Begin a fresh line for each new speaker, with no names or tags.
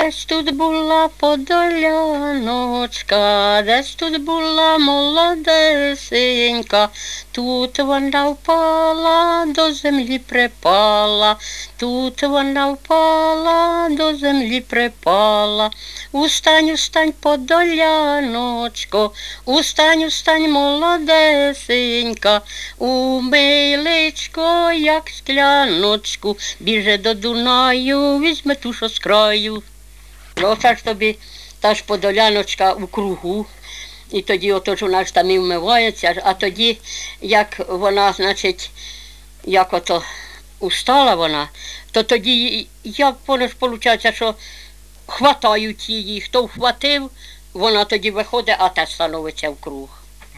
Десь тут була подоляночка, десь тут була молодесенька, тут вона впала, до землі припала, тут вона впала, до землі припала. Устань, устань, подоляночко, устань, устань, молодесенька, умий личко, як скляночку, біже до Дунаю, візьме ту, що з краю. Оце ж тобі та ж подоляночка у кругу, і тоді ото ж вона ж там і вмивається, а тоді, як вона, значить, як ото устала вона, то тоді, як воно ж виходить, що хватають її, хто вхватив, вона тоді виходить, а те становиться в круг.